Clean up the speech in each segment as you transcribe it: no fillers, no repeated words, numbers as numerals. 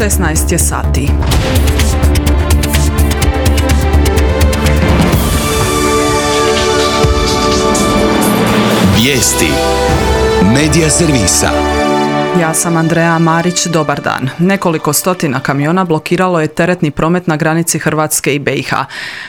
16 je sati. Vijesti Medija servisa. Ja sam Andreja Marić, dobar dan. Nekoliko stotina kamiona blokiralo je teretni promet na granici Hrvatske i BiH,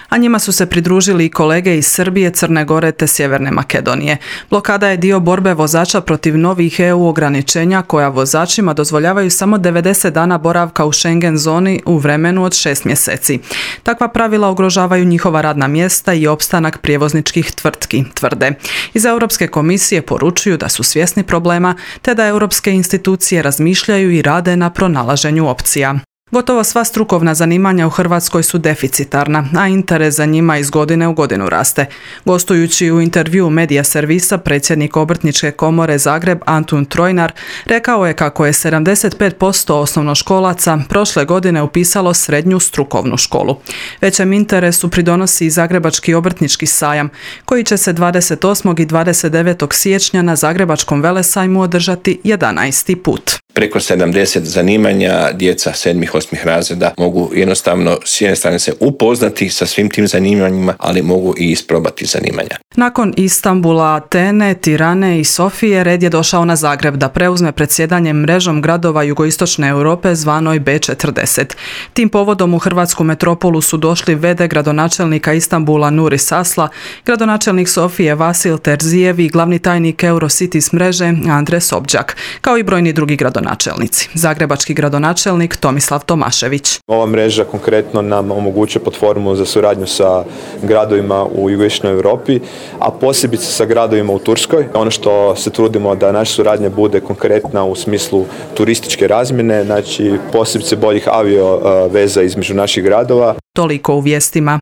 a njima su se pridružili i kolege iz Srbije, Crne Gore te Sjeverne Makedonije. Blokada je dio borbe vozača protiv novih EU ograničenja koja vozačima dozvoljavaju samo 90 dana boravka u Schengen zoni u vremenu od 6 mjeseci. Takva pravila ugrožavaju njihova radna mjesta i opstanak prijevozničkih tvrtki, tvrde. Iz Europske komisije poručuju da su svjesni problema te da europske institucije razmišljaju i rade na pronalaženju opcija. Gotovo sva strukovna zanimanja u Hrvatskoj su deficitarna, a interes za njima iz godine u godinu raste. Gostujući u intervjuu Medija servisa, predsjednik Obrtničke komore Zagreb Antun Trojnar rekao je kako je 75% osnovnoškolaca prošle godine upisalo srednju strukovnu školu. Većem interesu pridonosi i Zagrebački obrtnički sajam, koji će se 28. i 29. siječnja na Zagrebačkom velesajmu održati 11. put. Preko 70 zanimanja djeca 7. 8. razreda mogu jednostavno s jedne strane se upoznati sa svim tim zanimanjima, ali mogu i isprobati zanimanja. Nakon Istanbula, Atene, Tirane i Sofije red je došao na Zagreb da preuzme predsjedanje mrežom gradova jugoistočne Europe zvanoj B40. Tim povodom u hrvatsku metropolu su došli v.d. gradonačelnika Istanbula Nuris Asla, gradonačelnik Sofije Vasil Terzijev i glavni tajnik Eurocities mreže Andre Sobđak, kao i brojni drugi gradonačelnici. Zagrebački gradonačelnik Tomislav Tomašević. Ova mreža konkretno nam omogućuje platformu za suradnju sa gradovima u jugoistočnoj Europi, a posebice sa gradovima u Turskoj. Ono što se trudimo da naša suradnja bude konkretna u smislu turističke razmjene, znači posebice boljih avio veza između naših gradova. Toliko u vijestima.